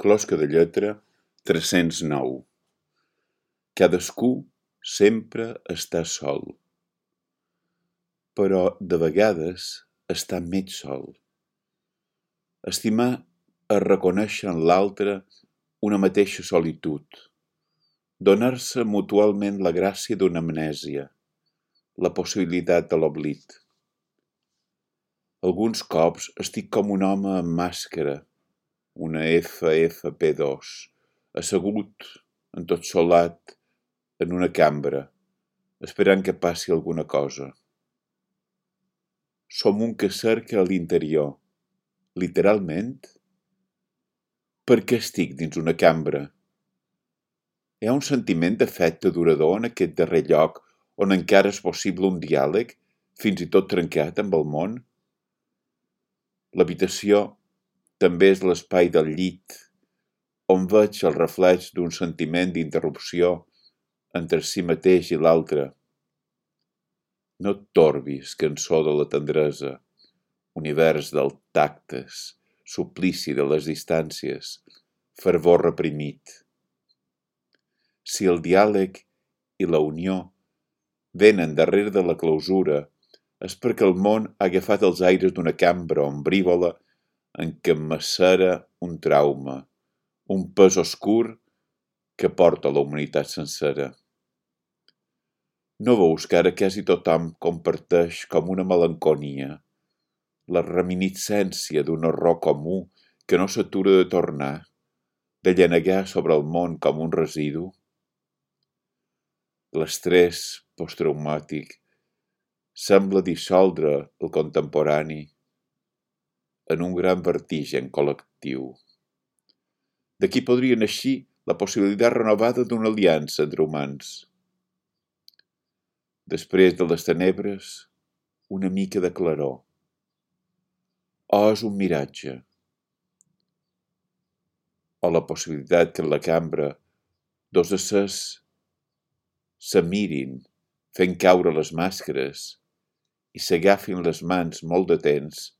Closca de lletra 309. Cadascú sempre està sol, però de vegades està mig sol. Estimar és reconèixer en l'altre una mateixa solitud, donar-se mutualment la gràcia d'una amnèsia, la possibilitat de l'oblit. Alguns cops estic com un home amb màscara, una FFP2, assegut, entotsolat, en una cambra, esperant que passi alguna cosa. Som un que cerca a l'interior, literalment. Per què estic dins una cambra? Hi ha un sentiment d'afecte durador en aquest darrer lloc on encara és possible un diàleg, fins i tot trencat amb el món? L'habitació també és l'espai del llit, on veig el reflex d'un sentiment d'interrupció entre si mateix i l'altre. No et torbis, cançó de la tendresa, univers dels tactes, suplici de les distàncies, fervor reprimit. Si el diàleg i la unió venen darrere de la clausura, és perquè el món ha agafat els aires d'una cambra ombrívola en què macera un trauma, un pes oscur que porta la humanitat sencera. No veus que ara quasi tothom comparteix com una melanconia, la reminiscència d'un horror comú que no s'atura de tornar, de llanegar sobre el món com un residu? L'estrès posttraumàtic sembla dissoldre el contemporani en un gran vertigen col·lectiu. D'aquí podria naixer la possibilitat renovada d'una aliança entre humans. Després de les tenebres, una mica de claror. O és un miratge? O la possibilitat que en la cambra dos éssers se mirin, fent caure les màscares i s'agafin les mans molt de temps,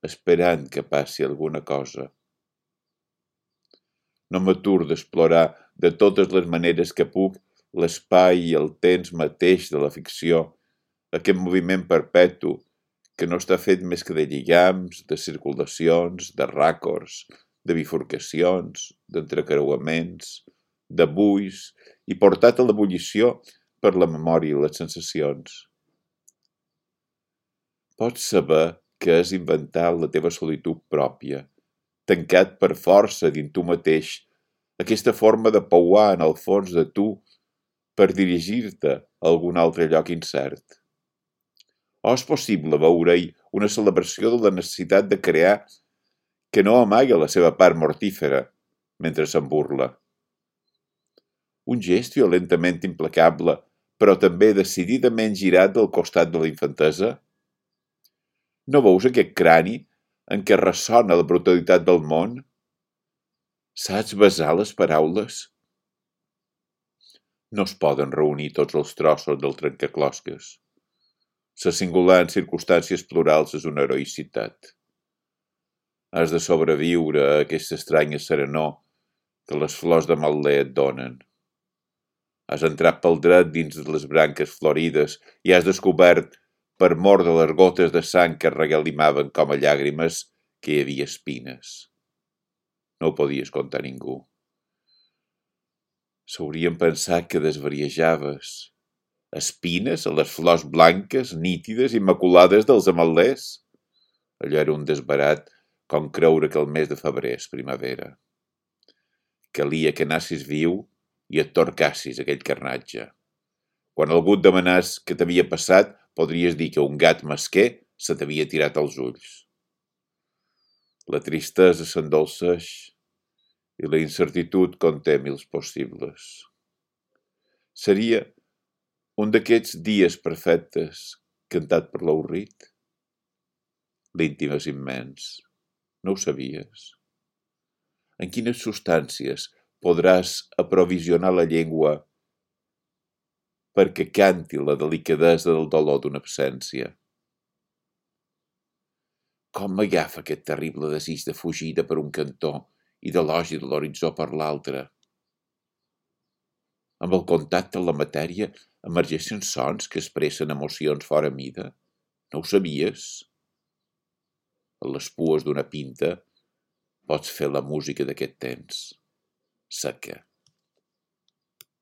esperant que passi alguna cosa. No m'aturo d'explorar de totes les maneres que puc l'espai i el temps mateix de la ficció, aquest moviment perpetu que no està fet més que de lligams, de circulacions, de ràcords, de bifurcacions, d'entrecreuaments, de buis i portat a l'ebullició per la memòria i les sensacions. Pots saber què és inventar la teva solitud pròpia, tancat per força dins tu mateix, aquesta forma de pouar en el fons de tu per dirigir-te a algun altre lloc incert. O és possible veure-hi una celebració de la necessitat de crear que no amaga la seva part mortífera mentre se'n burla. Un gest violentament implacable, però també decididament girat del costat de la infantesa? No veus aquest crani en què ressona la brutalitat del món? Saps besar les paraules? No es poden reunir tots els trossos del trencaclosques. Ser singular en circumstàncies plurals és una heroïcitat. Has de sobreviure a aquesta estranya serenor que les flors de mal·lè et donen. Has entrat pel dret dins de les branques florides i has descobert, per mor de les gotes de sang que regalimaven com a llàgrimes, que hi havia espines. No ho podies contar a ningú. S'haurien pensat que desvariejaves. Espines a les flors blanques, nítides, immaculades dels ametllers? Allò era un desbarat com creure que el mes de febrer és primavera. Calia que anassis viu i et torcassis aquell carnatge. Quan algú et demanàs què t'havia passat, podries dir que un gat mesquer se t'havia tirat als ulls. La tristesa s'endolceix i la incertitud conté mils possibles. Seria un d'aquests dies perfectes cantat per l'avorrit? L'íntim és immens. No ho sabies? En quines substàncies podràs aprovisionar la llengua perquè canti la delicadesa del dolor d'una absència? Com m'agafa aquest terrible desig de fugida per un cantó i d'elogi de l'horitzó per l'altra. Amb el contacte amb la matèria emergeixen sons que expressen emocions fora mida. No ho sabies? A les pues d'una pinta pots fer la música d'aquest temps, seca.